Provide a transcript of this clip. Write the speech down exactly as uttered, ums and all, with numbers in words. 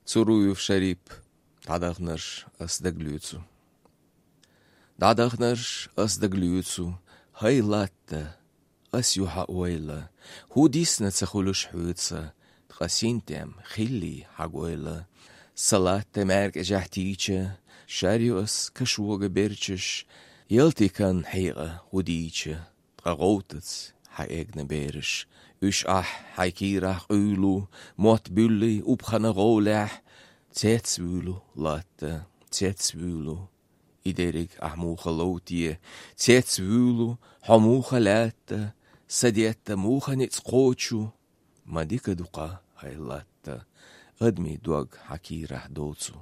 Цуруев Шарип. ДӀадахнарш ас дагалоьцу. ДӀадахнарш ас дагалоьцу, хӀай латта, ас ю хьа ойла, хӀу дисна ца хуьлуш хьоьца, ткъа синтем хилли хьа гойла. Са латта маьркӀажехь тийча, шар ю ас кашога берчаш, ялти кан хьекъа хӀу дийча, ткъа гӀовтац хьа эгна бераш. Уьш ахь хьай кийрахь къуьйлу, мотт буьллий убхана гӀовлехь, цец вуьйлу латта, цец вуьйлу. И дерриг ахь муха ловте, цец вуьйлу, хьо муха лаьтта, са детта муха ницкъ кхочу, ма дика ду-кха, хӀай латта, адамий дог хьа кийрахь доцу.